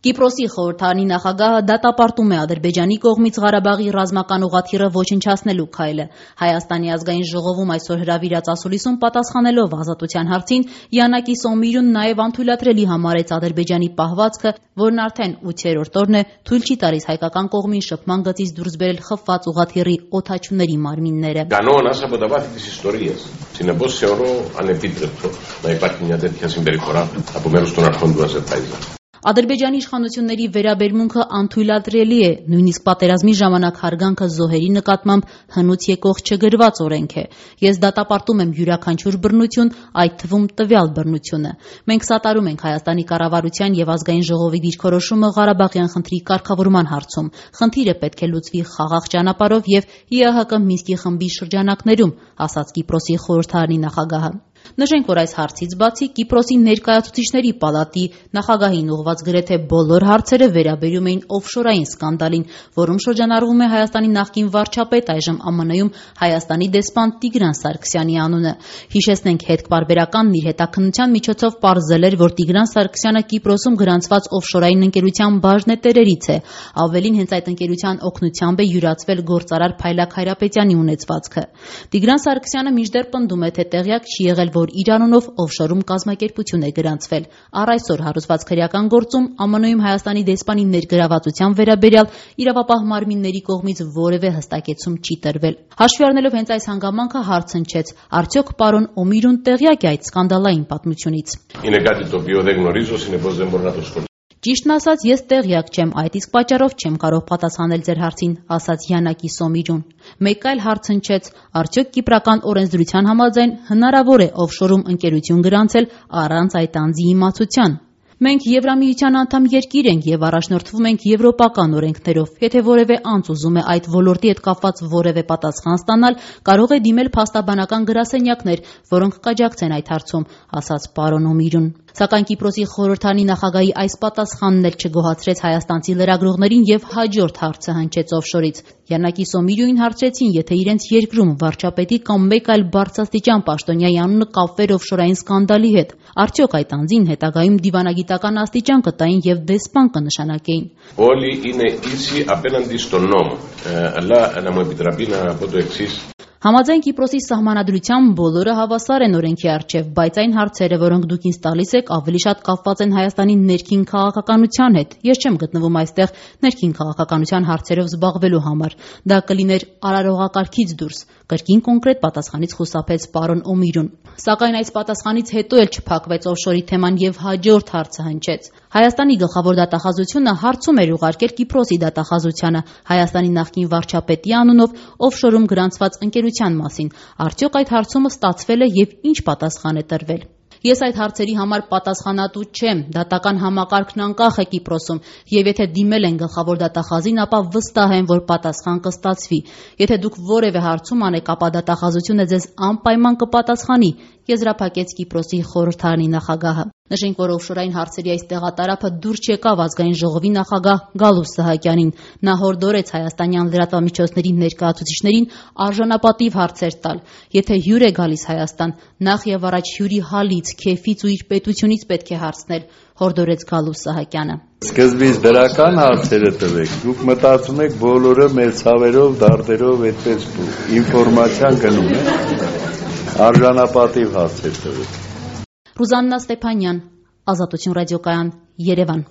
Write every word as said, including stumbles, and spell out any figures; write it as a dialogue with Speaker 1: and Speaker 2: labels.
Speaker 1: Կիպրոսի խորհրդարանի նախագահը դատապարտում է Ադրբեջանի կողմից Ղարաբաղի ռազմական ուղղաթիռը ոչնչացնելու քայլը։ Հայաստանի ազգային ժողովում այսօր հրավիրած ասուլիսում պատասխանելով ազատության հարցին, Յանակի Սոմիրուն նաև անթույլատրելի համարեց Ադրբեջանի պահվածքը, որն արդեն ութերորդ օրն է թույլ չի տալիս հայկական կողմին շփման գծից դուրս բերել խփված ուղղաթիռի օդաչուների մարմինները։
Speaker 2: Συνεπώς θεωρώ ανεπίτρεπτο να υπάρχει μια τέτοια συμπεριφορά από μέρους των αρχών του Αζερβαϊτζάν.
Speaker 1: Ադրբեջանի իշխանությունների վերաբերմունքը անթույլատրելի է, նույնիսկ պատերազմի ժամանակ հարգանքը զոհերի նկատմամբ հնուց եկող չգրված օրենք է։ Ես դատապարտում եմ յուրաքանչյուր բռնություն, այդ թվում տվյալ բռնությունը։ Մենք սատարում ենք Հայաստանի կառավարության եւ ազգային ժողովի դիրքորոշումը Ղարաբաղյան խնդրի կարգավորման հարցում։ Խնդիրը պետք է լուծվի խաղաղ ճանապարհով եւ ԻԱՀԿ Մինսկի խմբի շրջանակներում, ասաց Կիպրոսի խորհրդարանի նախագահը։ Նշենք, որ այս հարցից բացի Կիպրոսի ներկայացուցիչների պալատի նախագահին ուղղված գրեթե բոլոր հարցերը վերաբերում էին օֆշորային սկանդալին, որում շրջանառվում է Հայաստանի նախկին վարչապետ, այժմ ԱՄՆ-ում Հայաստանի դեսպան Տիգրան Սարգսյանի անունը։ Հիշեցնենք, հետպարբերականն իր հետաքննության միջոցով պարզել էր, որ Տիգրան Սարգսյանը Կիպրոսում գրանցված օֆշորային ընկերության բաժնետերերից է։ Ավելին, հենց այդ ընկերության օգնությամբ է յուրացվել գործարար Փայլակ Հայրապետյանի ունեցվածքը։ Տիգրան Սարգսյանը մինչդեռ պնդում է, թե տեղյակ չի եղել, որ իր անունով օֆշորում կազմակերպություն է գրանցվել։ Առ այսօր հարուցված քրեական գործում ԱՄՆ-ում Հայաստանի դեսպանի ներգրավվածության վերաբերյալ իրավապահ մարմինների կողմից որևէ հստակեցում չի տրվել։ Հաշվի առնելով հենց այս հանգամանքը, հարց հնչեց. արդյոք պարոն Օմիրուն տեղյակ է այդ սկանդալային պատմությունից։ Ճիշտն ասած, ես տեղյակ չեմ, այդ իսկ պատճառով չեմ կարող պատասխանել ձեր հարցին, ասաց Յանակի Սոմիրուն։ Մեկ այլ հարց հնչեց. արդյոք կիպրական օրենսդրության համաձայն հնարավոր է օֆշորում ընկերություն գրանցել առանց այդ անձի իմացության։ Մենք Եվրամիության անդամ երկիր ենք եւ առաջնորդվում ենք եվրոպական օրենքներով։ Եթե որևէ անձ ուզում է այդ ոլորտի հետ կապված որևէ պատասխան ստանալ, կարող է դիմել փաստաբանական գրասենյակներ, որոնք կաջակցեն այդ հարցում, ասաց պարոն Օմիրուն։ Սակայն Կիպրոսի խորհրդարանի նախագահի այս պատասխանն էլ չգոհացրեց հայաստանցի լրագրողներին եւ հաջորդ հարցը հնչեց օֆշորից։ Յանակի Սոմիրյունին հարցրեցին, եթե իրենց երկրում վարչապետի կամ մեկ այլ բարձրաստիճան պաշտոնյայի անունը կապվեր օֆշորային սկանդալի հետ, արդյոք այդ անձին հետագայում դիվանագիտական աստիճան կտային եւ դեսպան կնշանակեին։
Speaker 2: Όλοι είναι ίσοι απέναντι στον νόμο. Αλλά να μου επιτραπεί να πω το εξής.
Speaker 1: Համաձայն Կիպրոսի սահմանադրության բոլորը հավասար են օրենքի առջև, բայց այն հարցերը, որոնք դուք ինձ տալիս եք, ավելի շատ կապված են Հայաստանի ներքին քաղաքականության հետ։ Ես չեմ գտնվում այստեղ ներքին քաղաքականության հարցերով զբաղվելու համար։ Դա կլիներ արարողակարգից դուրս, կրկին կոնկրետ պատասխանից խուսափեց պարոն Օմիրուն։ Սակայն այս պատասխանից հետո էլ չփակվեց օֆշորի թեման եւ հաջորդ հարցը հնչեց։ Հայաստանի գլխավոր դատախազությունը հարցում էր ուղարկել Կիպրոսի դատախազությանը Հայաստանի նախկին վարչապետի անունով օֆշորում գրանցված ընկերության մասին։ Արդյոք այդ հարցումը ստացվել է եւ ինչ պատասխան է տրվել։ Ես այդ հարցերի համար պատասխանատու չեմ, դատական համակարգն անկախ է Կիպրոսում, եւ եթե դիմել են գլխավոր դատախազին, ապա վստահ եմ, որ պատասխան կստացվի։ Եթե դուք որևէ հարցում անեք, ապա դատախազությունը ձեզ անպայման կպատասխանի, եզրափակեց Կիպրոսի խորհրդարանի նախագահը։ Նշենք, որ օֆշորային հարցերի այս տեղատարափը դուրս չեկավ ազգային ժողովի նախագահ Գալուստ Սահակյանին։ Նա հորդորեց հայաստանյան լրատվամիջոցների ներկայացուցիչներին արժանապատիվ հարցեր տալ։ Եթե հյուր է գալիս Հայաստան, նախ եւ առաջ հյուրի հալից, քեֆից ու իր պետությունից պետք է հարցնել, հորդորեց Գալուստ Սահակյանը։
Speaker 3: Սկզբից դրական հարցերը տվեք, դուք մտածում եք բոլորը մեր ցավերով, դարդերով այդպես ինֆորմացիան գնում է, արժանապատիվ հարցեր տվեք։
Speaker 1: Ռուզաննա Ստեփանյան, Ազատություն ռադիոկայան, Երևան։